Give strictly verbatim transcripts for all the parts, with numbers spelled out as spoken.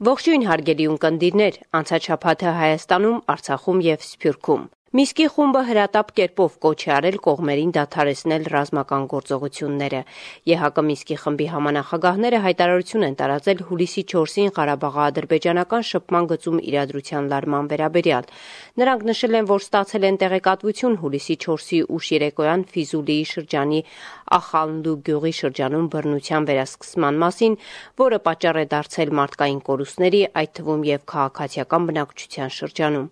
Ողջույն հարգելի ունկնդիրներ, անցած շաբաթը Հայաստանում, Արցախում և Սփյուռքում։ Միսկի խումբը հրատապ կերպով կոչ է արել կողմերին դադարեցնել ռազմական գործողությունները։ ԵՀԿ Միսկի խմբի համանախագահները հայտարարություն են տարածել հուլիսի չորսին Ղարաբաղի-ադրբեջանական շփման գծում իրադրության լարման վերաբերյալ։ Նրանք նշել են, որ ստացել են տեղեկատվություն հուլիսի չորսի ուշ երեկոյան Ֆիզուլիի շրջանի Ախալնդու գյուղի շրջանում բռնության վերասկսման մասին, որը պատճառ է դարձել մարդկային կորուստների, այդ թվում և քաղաքացիական բնակչության շրջանում։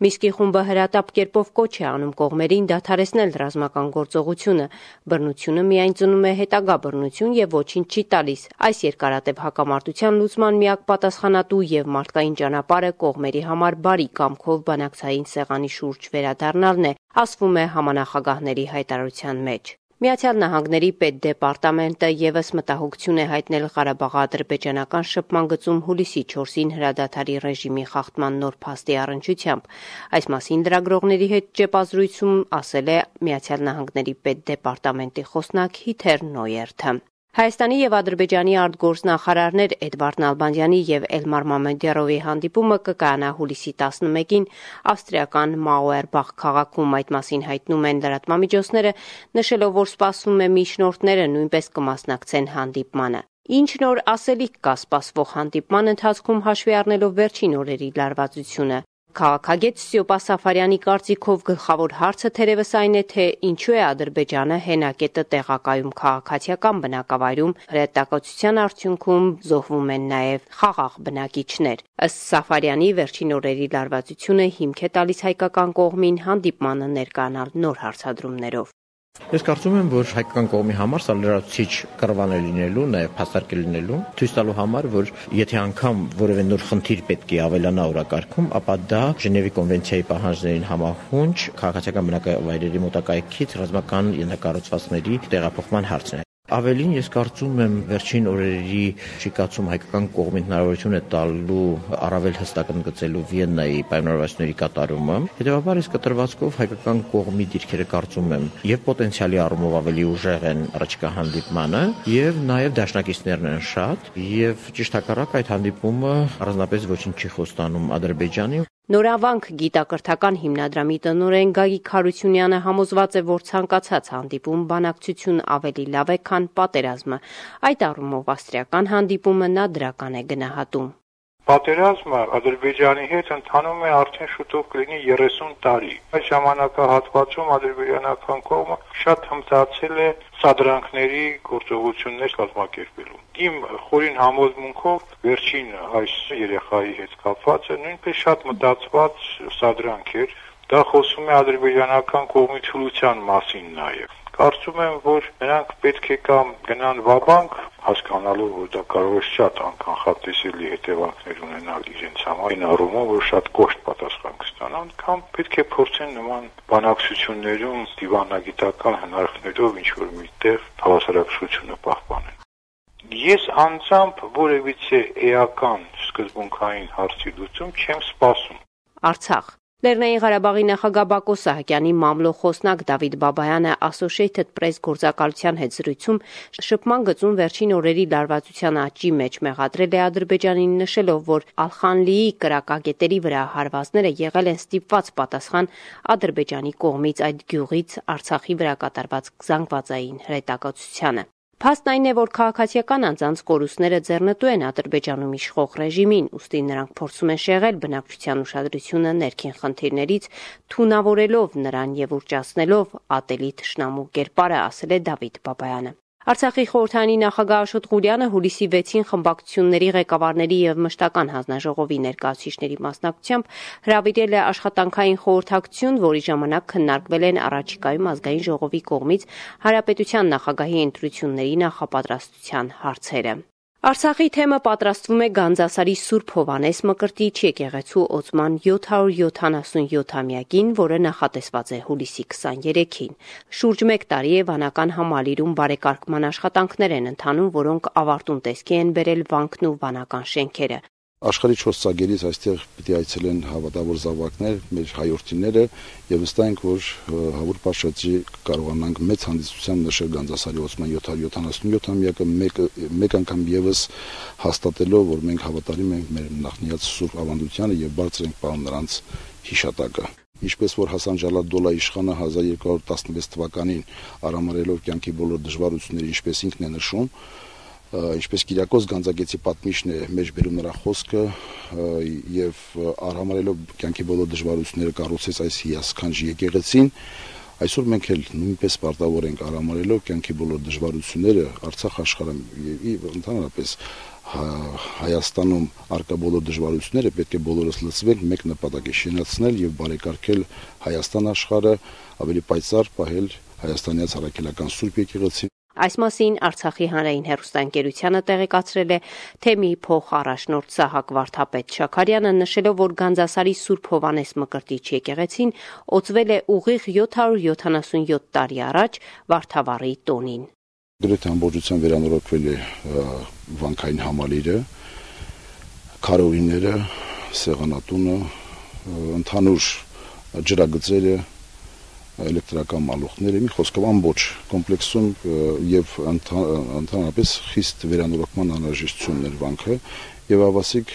Միսկի խումբը հրատապ կերպով կոչ է անում կողմերին դադարեցնել ռազմական գործողությունը։ Բռնությունը միայն ծնում է հետագա բռնություն և ոչինչ չի տալիս։ Այս երկարատև հակամարտության լուծման միակ պատասխանատու և մարդկային ճանապարհը կողմերի համար բարի կամքով բանակցային սեղանի շուրջ վերադառնալն է, ասվում է համանախագահների հայտարարության մեջ։ Միացյալ Նահանգների պետդեպարտամենտը ևս մտահոգություն է հայտնել Ղարաբաղի-ադրբեջանական շփման գծում հուլիսի չորսին հրադադարի ռեժիմի խախտման նոր փաստի առնչությամբ։ Այս մասին լրագրողների հետ ճեպազրույցում ասել է Միացյալ Նահանգների պետդեպարտամենտի խոսնակ Հիթեր Նոյերթը։ Հայաստանի և Ադրբեջանի արտգործնախարարներ Էդվարդ Նալբանդյանի և Էլմար Մամեդյարովի հանդիպումը կկայանա հուլիսի տասնմեկին ավստրիական Մաուերբախ քաղաքում։ Այդ մասին հայտնում են լրատվամիջոցները, նշելով, որ սպասվում է միջնորդները նույնպես կմասնակցեն հանդիպմանը։ Ինչ նոր ասելիք կա սպասվող հանդիպման ընթացքում հաշվի առնելով վերջին օրերի լարվածությունը։ Քաղաքագետ Ստյոպա Սաֆարյանի կարծիքով գլխավոր հարցը թերևս այն է, թե ինչու է Ադրբեջանը հենակետը տեղակայում քաղաքացիական բնակավայրում, հրետակոծության արդյունքում զոհվում են նաև խաղաղ բնակիչներ։ Ըստ Սաֆարյանի, վերջին օրերի լարվածությունը հիմք է տալիս հայկական կողմին հանդիպմանը ներկայանալ նոր հարցադրումներով։ Ես կարծում եմ, որ հայկական կողմի համար սա լրացուցիչ կռվան է լինելու, նաև փաստարկ է լինելու, ցույց տալու համար, որ եթե անգամ որևէ նոր խնդիր պետք է ավելանա օրակարգում, ապա դա Ժնևի կոնվենցիայի պահանջներին համահունչ քաղաքացիական բնակավայրերի մոտակայքից ռազմական ենթակառուցվածքների տեղափոխման հարցն է։ Ավելին, ես կարծում եմ, վերջին օրերի շիկացում հայկական կողմին հնարավորություն է տալու առավել հստակ ընդգծելու Վիեննայի պայմանավորվածությունների կատարումը։ Հետևաբար, այս կտրվածքով հայկական կողմի դիրքերը կարծում եմ եւ պոտենցիալի առումով ավելի ուժեղ են առաջիկա հանդիպմանը, եւ նաեւ դաշնակիցներն են շատ, եւ ճիշտ հակառակ այդ հանդիպումը առանձնապես ոչինչ չի խոստանում Ադրբեջանին։ Նորավանք գիտակրթական հիմնադրամի տնօրեն Գագիկ Հարությունյանը համոզված է, որ ցանկացած հանդիպում բանակցություն ավելի լավ է, քան պատերազմը։ Այդ առումով ավստրիական հանդիպումը նա դրական է գնահատում։ Պատերազմը Ադրբեջանի հետ ընթանում է արդեն շուտով կլինի երեսուն տարի։ Այս ժամանակահատվածում ադրբեջանական կողմը շատ հմտացել է սադրանքների գործողություններ կազմակերպելու։ Իմ խորին համոզմունքով վերջին այս երեխայի հետ կապվածը նույնպես շատ մտածված սադրանք էր։ Դա խոսում է ադրբեջանական կողմի թուլության մասին նաև։ Կարծում եմ, որ նրանք պետք է կամ գնան վաբանկ, հասկանալով, որ դա կարող է շատ անկանխատեսելի հետևանքներ ունենալ իրենց համար, այն առումով, որ շատ կոշտ պատասխան կստանան, կամ պետք է փորձեն նման բանակցություններում դիվանագիտական հնարքներով ինչ-որ միտեղ հավասարակշռությունը պահպանել։ Ես անձամբ որևիցե էական սկզբունքային հարցի լուծում չեմ սպասում։ Արցախ Լեռնային Ղարաբաղի նախագահ Բակո Սահակյանի մամլո խոսնակ Դավիթ Բաբայանը Associated Press գործակալության հետ զրույցում շփման գծում վերջին օրերի լարվածության աճի մեջ մեղադրել է Ադրբեջանին, նշելով, որ Ալխանլիի կրակակետերի վրա հարվածները եղել են ստիպված պատասխան Ադրբեջանի կողմից այդ գյուղից Արցախի վրա կատարված զանգվածային հրետակոծությանը։ Փաստն այն է, որ քաղաքացիական անձանց կորուստները ձեռնտու են Ադրբեջանում իշխող ռեժիմին, ուստի նրանք փորձում են շեղել բնակչության ուշադրությունը ներքին խնդիրներից, թունավորելով նրան եւ ուռճացնելով ատելի թշնամու կերպարը, ասել է Դավիթ Բաբայանը։ Արցախի խորհրդարանի նախագահ Աշոտ Ղուլյանը հուլիսի վեցին խմբակցությունների ղեկավարների եւ մշտական հանձնաժողովի ներկայացուցիչների մասնակցությամբ հրավիրել է աշխատանքային խորհրդակցություն, որի ժամանակ քննարկվել են առաջիկայում ազգային ժողովի կողմից հանրապետության նախագահի ընտրությունների նախապատրաստության հարցերը։ Արցախի թեմը պատրաստվում է Գանձասարի Սուրբ Հովհաննես Մկրտիչ եկեղեցու օծման յոթ հարյուր յոթանասունյոթամյակին, որը նախատեսված է հուլիսի քսաներեքին։ Շուրջ մեկ տարի է վանական համալիրում բարեկարգման աշխատանքներ են ընթանում, որոնք ավարտուն տեսքի են բերել վանքն ու վանական շենքերը։ Աշխարհի չորս ծագերից այստեղ պիտի այցելեն հավատավոր զավակներ, մեր հայրենիները, եւ վստահ ենք, որ Հավուր Պաշտի կարողանանք մեծ հանդիսությամբ նշել Գանձասարի ոցման յոթ հարյուր յոթանասունյոթամյակը մեկ մեկ անգամ եւս հաստատելով, որ մենք հավատարիմ ենք մեր նախնիած Սուրբ Ավանդությանը եւ բարձր ենք պահում նրանց հիշատակը։ Ինչպես որ Հասան Ջալադոլա իշխանը հազար երկու հարյուր տասնվեց թվականին արամարելով կյանքի բոլոր դժվարությունները, ինչպես ինքն է նշում, ինչպես Կիրակոս Գանձագեցի պատմիչն է մեջ բերում նրա խոսքը եւ արամարելով կյանքի բոլոր դժվարությունները կառուցեց այս հիասքանչ եկեղեցին, այսօր մենք էլ նույնպես պարտավոր ենք արամարելով կյանքի բոլոր դժվարությունները Արցախ աշխարհում եւ ընդհանրապես Հայաստանում արկա բոլոր դժվարությունները պետք է բոլորս լծվենք մեկ նպատակի շինացնել եւ բարեկարգել Հայաստան աշխարհը, ավելի պայծառ պահել հայաստանյաց առաքելական Սուրբ եկեղեցին։ Այս մասին Արցախի հանրային հեռուստաընկերությանը տեղեկացրել է Թեմի փոխառաջնորդ Սահակ Վարդապետ Շաքարյանը, նշելով, որ Գանձասարի Սուրբ Հովհաննես Մկրտիչ եկեղեցին օծվել է ուղիղ յոթ հարյուր յոթանասունյոթ տարի առաջ Վարդավառի տոնին։ Գրեթե ամբողջությամբ վերանորոգվել է վանքային համալիրը, քարոյիները, սեղանատունը, ընդհանուր ջրագծերը, էլեկտրական մալուխները, մի խոսքով ամբողջ կոմպլեքսում եւ ընդհանրապես խիստ վերանորոգման անհրաժեշտությունն էր վանքը եւ ավասիկ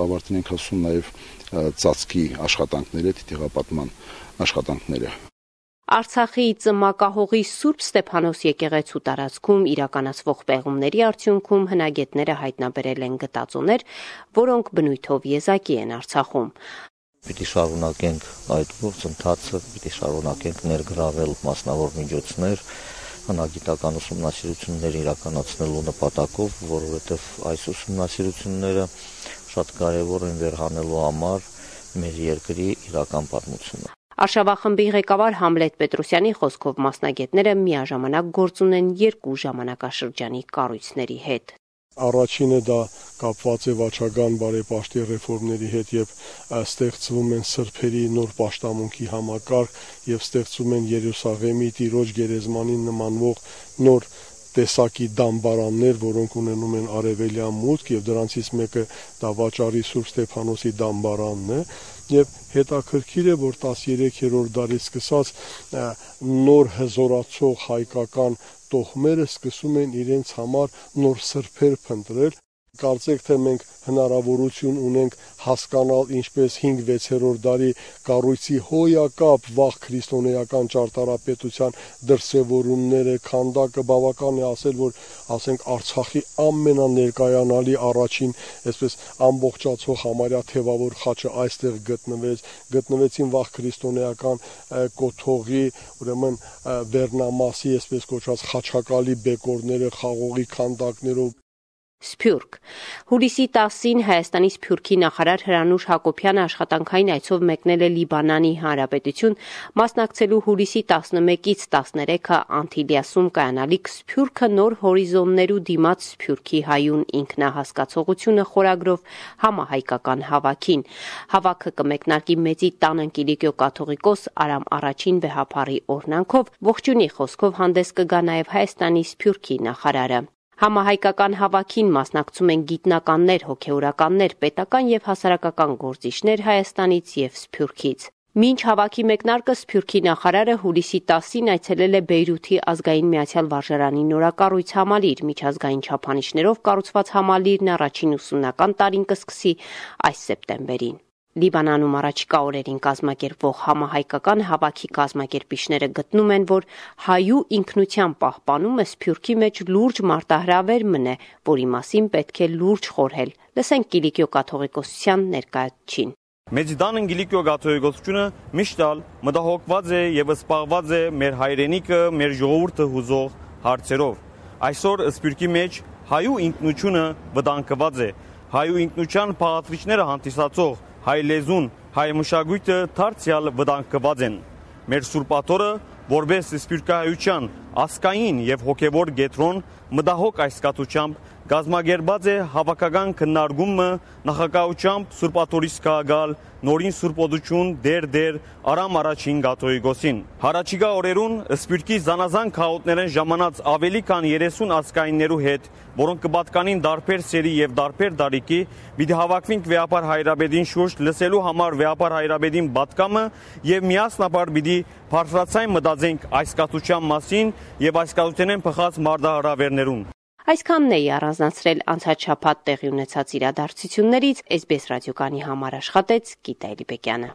ավարտին ենք հասում նաեւ ծածկի աշխատանքները, թիթեղապատման աշխատանքները։ Արցախի Ծմակահողի Սուրբ Ստեփանոս եկեղեցու տարածքում իրականացվող պեղումների արդյունքում հնագետները հայտնաբերել են գտածոներ, որոնք բնույթով եզակի են Արցախում։ Պիտի շարունակենք այդ գործընթացը, պիտի շարունակենք ներգրավել մասնավոր միջոցներ, հնագիտական ուսումնասիրություններ իրականացնելու նպատակով, որովհետև այս ուսումնասիրությունները շատ կարևոր են վերհանելու համար մեր երկրի իրական պատմությունը։ Արշավախմբի ղեկավար Համլետ Պետրոսյանի խոսքով մասնագետները միաժամանակ գործ ունեն երկու ժամանակաշրջանի կառույցների հետ։ Առաջինը դա կապված է վաճառական բարեպաշտի ռեֆորմների հետ եւ ստեղծվում են սրբերի նոր պաշտամունքի համակարգ եւ ստեղծում են Երուսաղեմի Տիրոջ գերեզմանին նմանվող նոր տեսակի դամբարաններ, որոնք ունենում են արևելյան մուտք եւ դրանցից մեկը դա Վաճառի Սուրբ Ստեփանոսի դամբարանն է եւ հետաքրքիր է, որ տասներեքերորդ դարից սկսած նոր հզորացող հայկական տոհմերը սկսում են իրենց համար նոր սրբեր փնտրել։ Կարծեք թե մենք հնարավորություն ունենք հասկանալ ինչպես հինգ-վեցերորդ դարի կառույցի հոյակապ վաղ քրիստոնեական ճարտարապետության դրսևորումները, քանդակը բավական է ասել, որ ասենք Արցախի ամենաներկայանալի առաջին այսպես ամբողջացող համարյա թևավոր խաչը այստեղ գտնվեց, գտնվեցին վաղ քրիստոնեական կոթողի, ուրեմն վերնամասի այսպես կոչված խաչակալի բեկորները խաղողի քանդակներով Սփյուռք։ Հուլիսի տասին Հայաստանի Սփյուռքի նախարար Հրանուշ Հակոբյանը աշխատանքային այցով մեկնել է Լիբանանի Հանրապետություն, մասնակցելու հուլիսի տասնմեկից տասներեքը Անտիլիասում կայանալիք Սփյուռքը նոր հորիզոններու դիմաց Սփյուռքի հայուն ինքնահասկացողությունը խորագրով համահայկական հավաքին։ Հավաքը կմեկնարկի Մեծի տան Կիլիկիո կաթողիկոս Արամ առաջին վեհափառի օրհնանքով, ողջունի խոսքով հանդես կգա նաև Հայաստանի Սփյուռքի նախարարը։ Համահայկական հավաքին մասնակցում են գիտնականներ, հոգեորականներ, պետական եւ հասարակական գործիչներ Հայաստանից եւ Սփյուռքից։ Մինչ հավաքի մեկնարկը Սփյուռքի նախարարը հուլիսի տասին այցելել է Բեյրութի ազգային միացյալ վարժարանի նորակառույց համալիր, միջազգային չափանիշներով կառուցված համալիրն առաջին ուսումնական տարին կսկսի այս սեպտեմբերին։ Լիբանանում առաջիկա օրերին կազմակերպվող համահայկական հավաքի կազմակերպիչները գտնում են, որ հայու ինքնության պահպանումը Սփյուռքի մեջ լուրջ մարտահրավեր մնե, որի մասին պետք է լուրջ խորհել։ Լսենք Կիլիկիո կաթողիկոսության ներկայացուցիչին։ Մեծիդան Կիլիկիո կաթողիկոսությունը միշտ մտահոգված է եւ սպառված է մեր հայրենիքը, մեր ժողովուրդը հուզող հարցերով։ Այսօր Սփյուռքի մեջ հայու ինքնությունը վտանգված է։ Հայու ինքնության փաղատվիչները հանդիսացող հայ լեզուն, հայ մշակույթը դարձյալ վտանգված են։ Մեր Սուրբաթորը, որպես սփյուռքահայության ազգային եւ հոգեվոր գետրոն, մտահոգ այս կաթությամբ կազմակերպված է հավաքական քննարկումը նախագահությամբ Սուրբ Աթորից քաղաքալ նորին սուրբոդություն դեր դեր Արամ առաջին կաթողիկոսին։ Հարաճիգա օրերուն Սփյուռքի զանազան քաղաքներեն ժամանած ավելի քան երեսուն ազգայիններու հետ, որոնք կպատկանին դարբեր սերի եւ դարբեր տարիքի, պիտի հավաքվենք Վեապար Հայրաբեդին շուրջ լսելու համար Վեապար Հայրաբեդին պատկամը եւ միասնաբար պիտի բարձրացայն մտածենք այս կաթության մասին եւ այս կաթութենեն փխած մարդահրավերներուն։ Այսքանն էի առանձնացրել անցած շաբաթ տեղի ունեցած իրադարձություններից, Էս Բի Էս ռադիոկանի համար աշխատեց Գիտա Էլիբեկյանը։